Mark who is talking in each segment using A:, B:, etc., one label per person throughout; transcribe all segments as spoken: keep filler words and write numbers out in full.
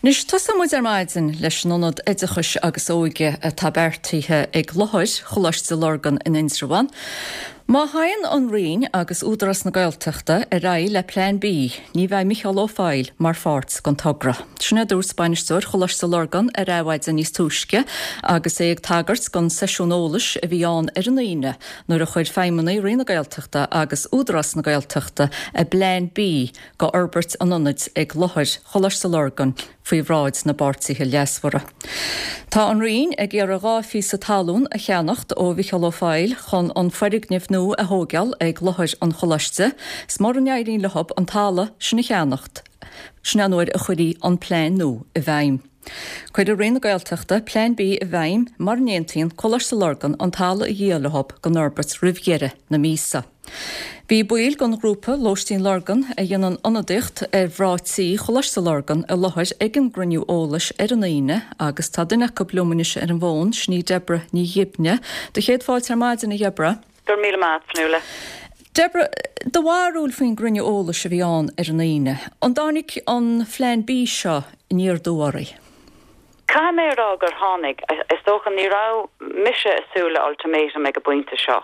A: Anois tosóidh muid ar maidin leis an ionad oideachais agus óige atá beartaithe ag láthair Choláiste Lurgan in Indreabhán. Má théann an Roinn agus Údarás na Gaeltachta ar aghaidh le Plean B, ní bheidh Micheál Ó Foighil mar pháirt den togra. Sin a dúirt bainisteoir Choláiste Lurgan ar Adhmhaidin níos túisce agus é ag tagairt don seisiún eolais a bhí ann ar an Aoine nuair a chuir feidhmeannaigh Roinn na Gaeltachta agus Údarás na Gaeltachta a bPlean B go fhorbairt an ionaid ag láthair Choláiste Lurgan faoi bhráid na bpáirtithe leasmhara. Tá an Roinn ag iarraidh dhá phíosa talún a cheannacht ó Mhicheál Ó Foighil chun an foirgneamh nua a thógáil ag láthair an choláiste, 's mura n-éiríonn leo an talamh sin a cheannacht, sin an uair a chuirfí an plean nua i bhfeidhm. Cuirfidh Roinn na Gaeltachta Plean B i bhfeidhm mura n-aontaíonn Coláiste Lurgan an talamh a dhíol leo don fhorbairt roimh dheireadh na míosa. Bhí baill den ghrúpa Lóistín Lurgan a dhéanann ionadaíocht ar mhná tí Choláiste Lurgan i láthair ag an gcruinniú eolais ar an Aoine agus tá duine acu liom anois ar an bhfón, sin í Deborah Ní Ghibne. Do chéad fáilte ar maidin a Dheborah.
B: Gur míle maith Fionnuala.
A: Deborah, do bharúil faoin gcruinniú eolais a bhí ann ar an Aoine. An dtáinig an Phlean B seo aniar aduaidh oraibh?
B: Caithfidh mé a rá gur tháinig is dócha ní raibh mise ag súil le ultimatum ag an bpointe seo.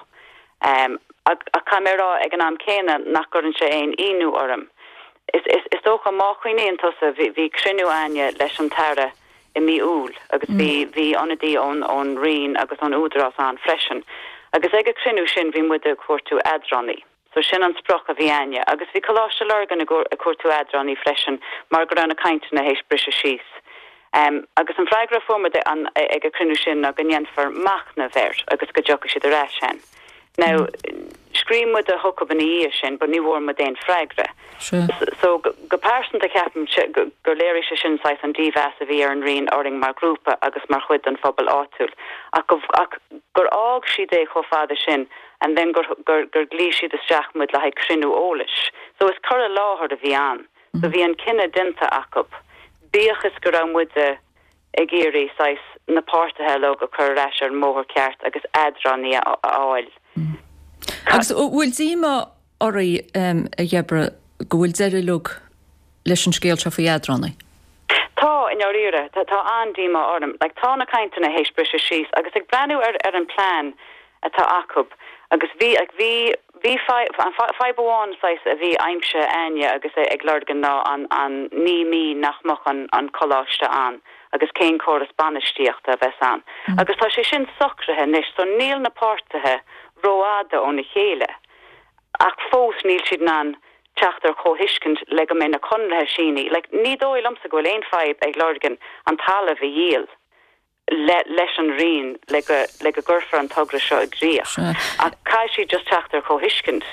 B: Um, ach caithfidh mé a rá ag an am céanna nach gcuireann sé aon ionadh orm. Is, is, is dócha má chuimhníonn tusa bhí, bhí cruinniú againne leis an tAire i mí Iúil agus bhí mm. bhí ionadaí ón ón Roinn agus ón Údarás ann freisin. Agus ag an gcruinniú sin bhí muid ag cuartú eadránaí. So sin an sprioc a bhí againne, agus bhí Coláiste Lurgan ag cuartú eadránaí freisin mar go raibh na cainteanna théis briseadh síos. Um, agus an freagra fuair muid ag an gcruinniú sin ná go ndéanfar machnamh air agus go dtiocfaidh siad ar ais chugainn. Now scríobh muid chucu ina dhiaidh sin, but ní bhfuair muid aon freagra.
A: Sure.
B: So go, go pearsanta ceapaim gur léirigh sé sin saghas an dímheas a bhí ar an Roinn orainn mar grúpa agus mar chuid den phobal áitiúil. Ach go, ach gur fhág siad é chomh fada sin and then gur, gur, gur ghlaoigh siad isteach muid le haghaidh cruinniú eolais. So is cur i láthair a bhí ann. So bhí an cinneadh déanta acu. Bíodh is go raibh muid ag iarraidh saghas na páirtithe uilig a chur ar ais ar an mbóthar ceart agus eadránaí a fháil.
A: Mm. Agus bhfuil díomá oraibh um, a Dheborah go bhfuil deireadh uilig leis an scéal seo faoi eadránaí?
B: Tá i ndáiríre tá tá an-díomá orm, like, tá na cainteanna théis briseadh síos agus ag breathnú ar ar an plean atá acu agus bhí ag bhí bhí fadhb amháin saghas a bhí aimsithe againne agus ag Lurgan ná an an naoi mí nach mbeadh an an coláiste ann agus cén córas bainistíochta a bheas ann. Mm. Agus tá sé sin socraithe anois, so níl na páirtithe rófhada óna chéile. Ach fós níl siad in ann teacht ar chomhthuiscint le go mbeidh na conarthaí sínithe. Like, ní dóigh liomsa go bhfuil aon fadhb ag Lurgan an talamh a dhíol le leis an Roinn le go le go gcuirfear an togra seo i gcrích. Ach caithfidh siad just teacht ar chomhthuiscint.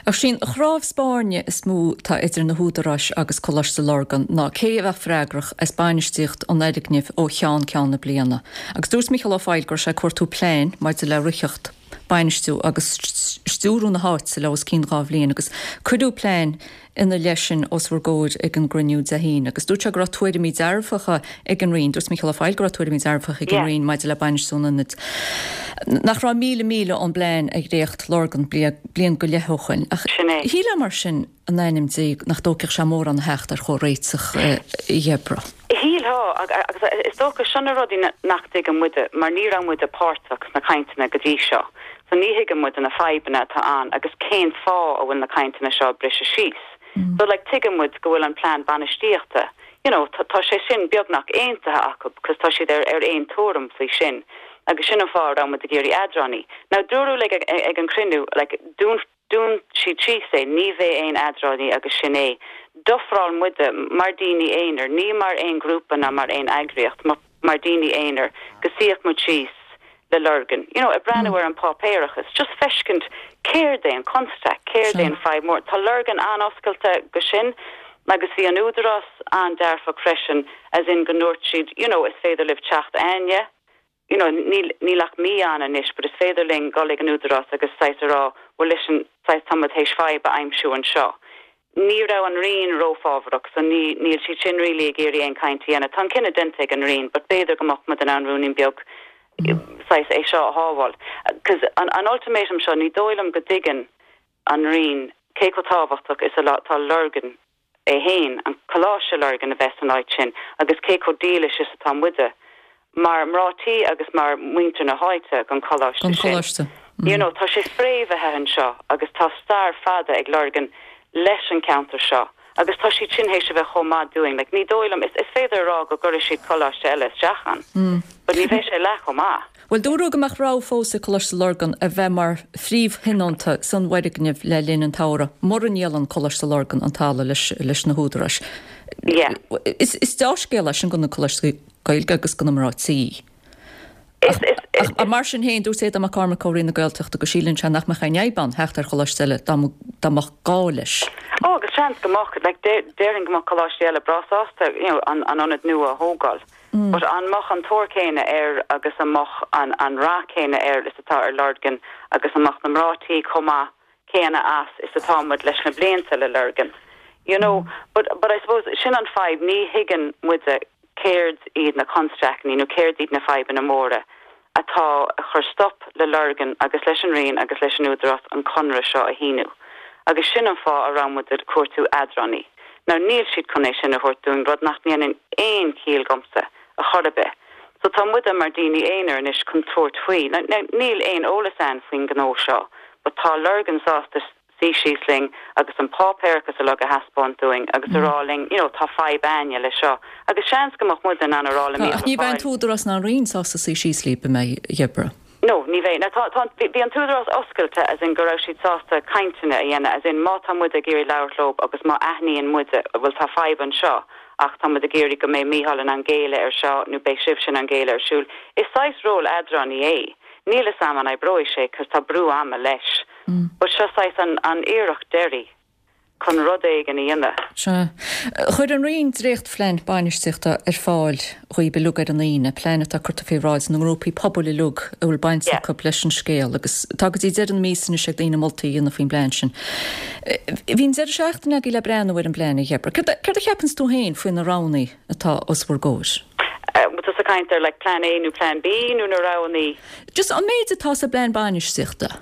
A: Ach sin chrámh spáine is mó tá idir na húdaráis agus Coláiste Lurgan ná cé a bheadh freagrach as bainistíocht an fhoirgnimh ó cheann ceann na bliana. Agus dúirt Micheál Ó Foighil go raibh sé ag cuartú plean maidir le ritheacht bainistiú agus stiúradh na háite le os cionn dhá bhliain agus cuireadh plean ina leith sin os bhur gcomhair ag an gcruinniú Dé hAoine agus dúirt sé go raibh tuairimí dearfacha ag an Roinn, dúirt Micheál Ó Foighil go raibh tuairimí dearfacha ag an Roinn maidir le bainistiú an ionaid. Nach raibh míle míle ón bplean a dhréacht Lurgan bliain go leith ó shin. Ach shílfeá mar sin in ainm Dé nach dtógfadh sé mórán a theacht ar chomhréiteach a Dheborah.
B: Shílfeá agus is dócha sin na rudaí nach dtuigeann muide mar ní raibh muide páirteach sna cainteanna go dtí seo. So ní thuigeann muid na fadhbanna atá ann agus cén fáth a bhfuil na cainteanna seo briseadh síos. Mm. So like tuigeann muid go bhfuil an plean bainistíochta. You know, tá sé sin beagnach aontaithe acu, cos tá siad ar ar aon tuairim faoi sin. Agus sin an fáth a raibh muid ag iarraidh eadránaí. Now dúradh like, ag, ag an cruinniú like, dún dún siad síos é ní bheidh aon eadránaí agus sin é. D'ofráil muide mar daoine aonair, ní mar aon grúpa ná mar aon eagraíocht, mar daoine aonair, go suífeadh muid síos le Lurgan. You know, ag breathnú mm. ar an páipéarachas, just feiscint céard é an constaic, céard é an fadhb mór. Tá Lurgan an-oscailte go sin, agus bhí an údarás an-dearfach freisin as in go ndúirt siad, you know, is féidir libh teacht chugainne, you know, níl níl ach mí ann anois, but is féidir linn dul ag an údarás agus saghas a rá well listen saghas tá muid théis fadhb a aimsiú anseo. Ní raibh an Roinn rófhábharach, so ní níl siad sin really ag iarraidh aon chaint a dhéanamh. Tá an cinneadh déanta ag an Roinn, but b'fhéidir go mbeadh muid in ann ruainnín beag saghas é seo a shábháil. Cos an, an ultimatum seo ní dóigh liom go dtuigeann an Roinn cé chomh tábhachtach is atá Lurgan é féin an Coláiste Lurgan a bheith san áit sin agus cé chomh dílis is atá muide mar mná tí agus mar muintir na háite don choláiste sin. Mm. You know, tá sé fréamhaithe anseo agus tá stair fada ag Lurgan leis an ceantar seo. agus tá siad sin théis a bheith chomh maith dúinn, like, ní dóigh liom is, is féidir rá go gcuirfidh siad coláiste eile isteach ann. Mm. But ní bheidh sé leath chomh maith.
A: Well dúradh go mbeadh rogha fós ag Coláiste Lurgan a bheith mar phríomhthionónta san bhfoirgneamh le linn an tsamhraidh, mura ndíolann Coláiste Lurgan an talamh leis, leis na húdaráis.
B: Yeah.
A: Is, is dea-scéal é sin do na coláistí Gaeilge agus do na mná tí. Ach mar sin féin dúirt Aodhán Mac Cormaic ó Roinn na Gaeltachta go síleann sé nach mbeadh aon fhadhb ann theacht ar choláiste eile dá mbeadh gá leis.
B: Ó agus seans go mbeadh like, déarfainn go mbeadh coláiste eile breá sásta you know, an, an ionad nua a thógáil. Mm. But an mbeadh an tóir céanna air agus an mbeadh an, an rath céanna air is atá ar Lurgan agus an mbeadh na mná tí chomh maith céanna as is atá muid leis na blianta le Lurgan. You know, mm. but, but I suppose sin an fadhb ní thuigeann muide céard iad na constaicí nó céard iad na fadhbanna móra atá ag cur stop le Lurgan agus leis an Roinn agus leis an Údarás an conradh seo a shíniú. Agus sin an fáth a raibh muid ag cuartú eadránaí. Now níl siad chun é sin a thabhairt dúinn rud nach ndéanann aon chiall domsa ar chor ar bith. So tá muide mar daoine aonair anois chun tabhairt faoi. Níl aon eolas againn faoin gnó seo, but tá Lurgan sásta suí síos linn agus an páipéarachas uilig a thaispeáint dúinn agus a rá linn you know, tá fadhb againne le seo. Agus seans go mbeadh muid in ann a rá le
A: Ach ní bheidh an t-údarás ná an Roinn sásta suí síos libh an mbeidh Deborah.
B: No, ní bheidh. Bhí an t-údarás oscailte as in go raibh siad sásta cainteanna a dhéanamh as in má tá muid ag iarraidh labhairt leo agus má aithníonn muid bhfuil tá fadhb anseo ach tá muid ag iarraidh go mbeidh Mícheál in ann géilleadh ar seo nó beidh sibh sin an géilleadh ar siúl. Is saghas ról eadránaí é. Níl a fhios agam an oibreoidh sé cos tá brú ama leis. Mm. But seo saghas an, an iarracht deiridh chun rud éigin a dhéanamh.
A: Sea. Chuir an Roinn dréachtphlean bainistíochta ar fáil dhaoibh uilig ar an Aoine, plean atá curtha faoi bhráid na ngrúpaí pobail uilig a bhfuil baint acu leis an scéal agus tá go dtí deireadh na míosa anois ag daoine moltaí a dhéanamh faoin bplean sin. Bhí an deireadh seachtaine agaibh le breathnú ar an bplean a Dheborah. Céard a cheapann tú féin faoi na roghanna atá os bhur gcomhair?
B: Tá sa caint ar like plan A nó plan B nó na roghanna.
A: Just an méid atá sa bplean bainistíochta.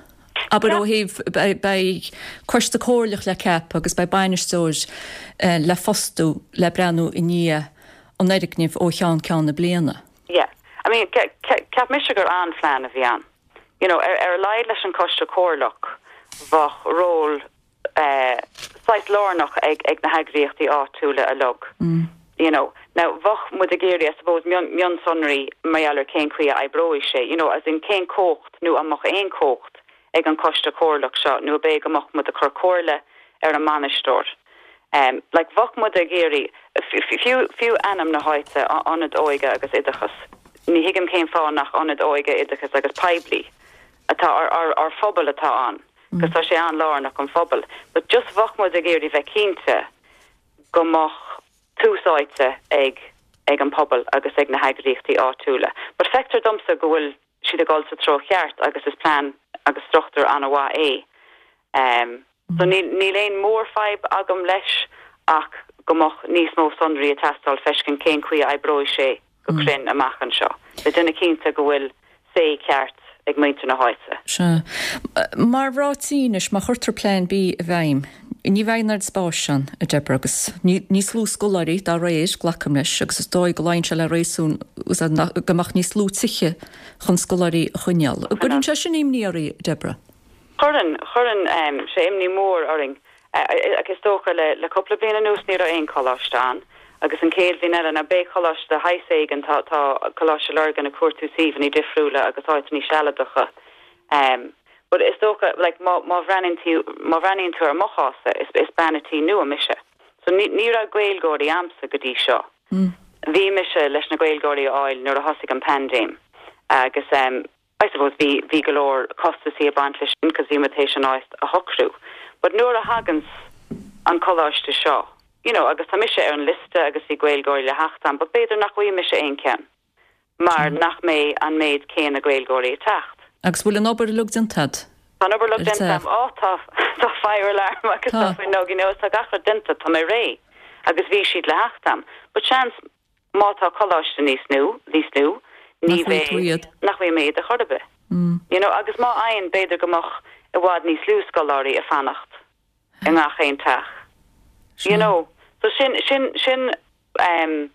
A: Aber ó thaobh beidh coiste comhairleach le ceapadh agus beidh bainisteoir le fostú le breathnú i ndiaidh an fhoirgnimh ó cheann ceann na bliana.
B: Yeah. I mean cheap mise gur an-phlean a bhí ann. You know, ar ar a laghad leis an coiste comhairleach bheadh ról uh, saghas lárnach ag ag na heagraíochtaí áitiúla uilig. Mm. You know, now bheadh muid ag iarraidh I suppose mion mionsonraí mar ar cén chaoi a oibreoidh sé, you know, as in cén chumhacht nó an mbeadh aon chumhacht ag an coiste comhairleach seo nó b'fhéidir go mbeadh muid ag cur comhairle ar an mbainisteoir. Um, like bheadh muid ag iarraidh fiú fiú ainm na háite ionad óige agus oideachas. Ní thuigim cén fáth nach ionad óige oideachas agus poiblí atá ar ar ar phobal atá ann, mm. tá sé an-lárnach an phobal. But just bheadh muid ag iarraidh bheith cinnte go mbeadh tús áite ag ag an pobal agus ag na heagraíochtaí áitiúla. But feictear domsa go bhfuil siad ag dul sa treo cheart agus is plean agus struchtúr an-mhaith é. Um, so níl níl aon mhórfhadhb agam leis ach go mbeadh níos mó sonraí ag teastáil feiscint cén chaoi a oibreoidh sé go mm. cruinn amach anseo. Le déanamh cinnte go bhfuil sé ceart ag muintir na háite.
A: Sea. Mar mhná tí anois má chuirtear plean B i bhfeidhm. Ní bheidh an oiread spáis ann a Deborah agus níos lú scoláirí dá réir glacaim leis agus is dóigh go luíonn sé le réasún go mbeadh níos lú tithe chun scoláirí a choinneáil. Cuireann sé sin imní oraibh Deborah.
B: Chuireann chuireann um, sé imní mór orainn agus is dócha le le cúpla bliain anuas ní raibh aon choláiste ann. agus an chéad bhliain eile na beidh coláiste éigin tá tá Coláiste Lurgan ag cuartú suíomhanna difriúla agus áiteanna sealadacha. Um, but is dócha like má má bhreathnaíonn tú má bhreathnaíonn tú ar mo chás is is bean tí nua mise. So ní ní raibh Gaeilgeoirí agamsa go dtí seo. Mm. Bhí mise leis na Gaeilgeoirí a fháil nuair a thosaigh an paindéim agus um, I suppose bhí bhí go leor costas ag baint leis sin cos bhí théis an áit a shocrú. But nuair a thagann an coláiste seo, you know, agus tá mise ar an liosta agus bhí Gaeilgeoirí le theacht ann, but b'fhéidir nach bhfaighidh mise aon cheann. Mar mm. nach mbeidh an méid céanna Gaeilgeoirí ag teacht.
A: Agus bhfuil an obair uilig déanta?
B: Tá an obair uilig déanta á tá tá fire alarm agus tá no you tá gach rud déanta tá mé réidh agus bhí siad le theacht ann. But seans má tá coláiste níos lú níos lú ní bheidh nach bhfuil méid a chorbe. Mm. You know, agus má aon b'fhéidir go mbeadh i bhfad níos lú scoláirí ag fanacht i ngach aon teach. You know, So sin sin sin um,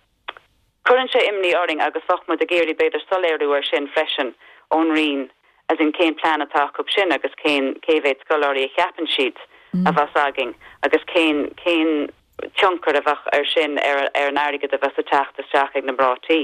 B: cuireann sé imní orainn agus bheadh muid ag iarraidh b'fhéidir soiléiriú ar sin freisin ón Roinn as in cén plean atá acu sin agus cén cé mhéad scoláirí a cheapann siad mm. a bheas againn agus cén cén tionchar a bheadh ar sin ar ar an airgead a bheas ag teacht isteach ag na mná tí.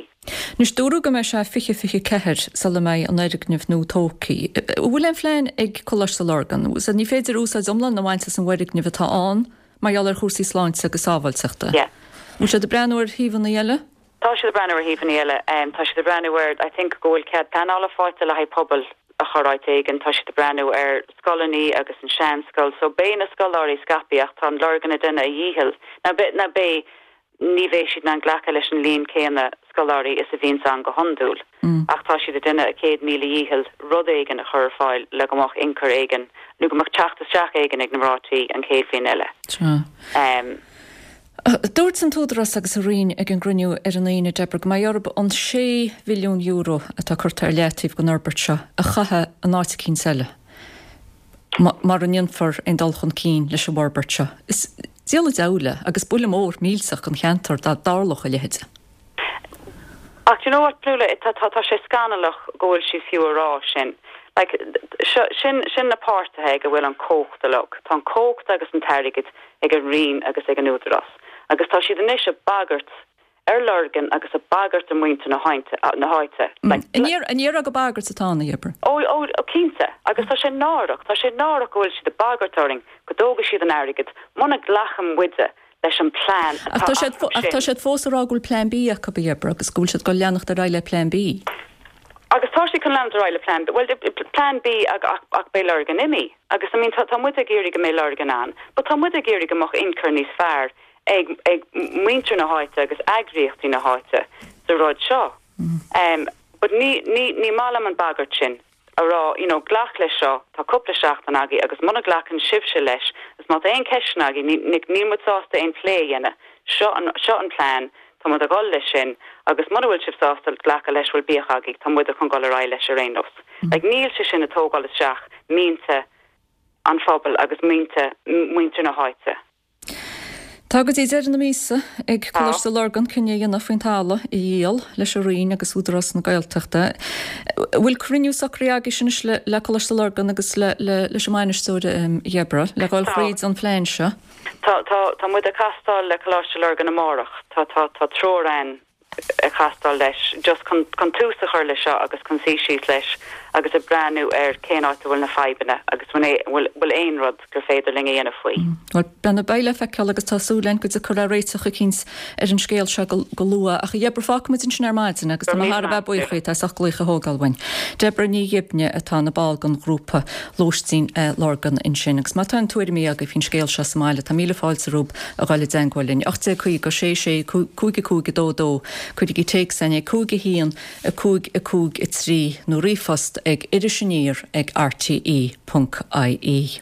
A: Anois dúradh go mbeidh sé fiche fiche ceathair sula mbeidh an fhoirgneamh nua tógtha. Bhfuil aon phlean ag Coláiste Lurgan, ní féidir úsáid iomlán a bhaint as an bhfoirgneamh atá ann mar gheall ar chúrsaí sláinte agus sábháilteachta.
B: Yeah.
A: Bhfuil siad ag breathnú ar shuíomhanna eile?
B: Tá siad ag breathnú ar shuíomhanna eile, um, tá siad ag breathnú ar I think go bhfuil cead pleanála faighte le haghaidh puball a chur áit éigin tá siad ag breathnú ar scoileanna agus an seanscoil, so beidh na scoláirí scaipthe ach tá an Lorgan ag déanamh a dhícheall. Na be na be ní bheidh siad in ann glacadh leis an líon céanna scoláirí is a bhíonn ann go hiondúil. Mm. Ach tá siad ag déanamh a céad míle dhícheall rud éigin a chur ar fáil le go mbeadh ionchur éigin nó go mbeadh teacht isteach éigin ag na mná tí an chéad bhliain eile.
A: Um, Dúirt an tÚdarás agus an Roinn ag an gcruinniú ar an Aoine Deborah go mbeidh orthu an sé mhilliún euro atá curtha ar leataobh don fhorbairt seo a chaitheamh in áit eicínt eile. Mura ndéanfar aon dul chun cinn leis an bhforbairt seo. Is diabhal an diabhal é agus buille mór millteach don cheantar dá dtarlódh a leithéid.
B: Ach you know what Nuala tá tá tá sé scannalach go bhfuil siad fiú ag rá sin. Like sin sin na páirtithe ag a bhfuil an chumhacht uilig. Tá an chumhacht agus an t-airgead ag an Roinn agus ag an Údarás. Agus tá siad anois ag bagairt ar Lurgan agus ag bagairt ar mhuintir na háite na háite.
A: An iarraidh go bagairt atá ann a Dheborah?
B: Ó ó ó cinnte agus tá sé náireach, tá sé náireach go bhfuil siad ag bagairt orainn go dtógfaidh siad an airgead muna nglacann muide leis an plean
A: Ach tá siad ach tá siad fós ag rá go bhfuil plean B acu a Dheborah agus go bhfuil siad ag leanacht ar aghaidh le plean B.
B: Agus tá siad chun leanacht ar aghaidh le plean B. Well plean B ach ach, ach beidh Lurgan imithe. Agus I mean tá tá muid ag iarraidh go mbeidh Lurgan ann, but tá muid ag iarraidh go mbeadh ionchur níos fearr ag ag muintir na háite agus eagraíochtaí na háite sa rud seo. Mm. Um, but ní ní ní maith liom an bagairt sin a rá you know, glac leis seo tá cúpla seachtain agaibh agus muna nglacann sibhse leis is má aon ceisteanna agaibh níl muid sásta aon plé a dhéanamh seo an seo an plean tá muid ag dul leis sin agus muna bhfuil sibh sásta glacadh leis bhuel bíodh agaibh tá muid chun dul ar aghaidh leis ar aon nós. Mm. Like níl sé sin ag tógáil isteach mianta an phobail agus mianta muintir na háite.
A: Tá go dtí deireadh na míosa ag Coláiste Lurgan cinneadh a dhéanamh faoin talamh a dhíol leis an Roinn agus Údarás na Gaeltachta. Bhfuil cruinniú socraithe agaibh sin le, le Coláiste Lurgan agus le, le, leis an mbainisteoir um, Dheborah le dhul fríd an phlean seo?
B: Tá tá tá muid ag castáil le Coláiste Lurgan amárach tá tá tá triúr againn ag castáil leis just chun chun tús a chur leis seo agus chun suí síos leis agus ag breathnú ar cén áit a bhfuil na fadhbanna agus bhfuil bhfuil aon rud gur féidir linn a dhéanamh faoi.
A: Mm. Well beidh beidh le feiceáil agus tá súil againn go dtiocfar ar réiteach eicínt ar an scéal seo go, go luath ach Dheborah fágfaimid ansin ar maidin agus tá thar a bheith buíoch as ucht glaoch a thógáil uainn. Deborah Ní Ghibne atá ina ball den ghrúpa Lóistín eh, Lurgan ansin agus má tá aon tuairimí agaibh faoin scéal seo sa mbaile tá míle fáilte romhaibh a dhul i dteagmháil linn. ocht déag caoga sé sé cúig cúig dó dó cuirigí téacs chugainn ag cúig a haon a cúig a cúig a trí nó ríomhphost ag irisaniar ag rte.ie.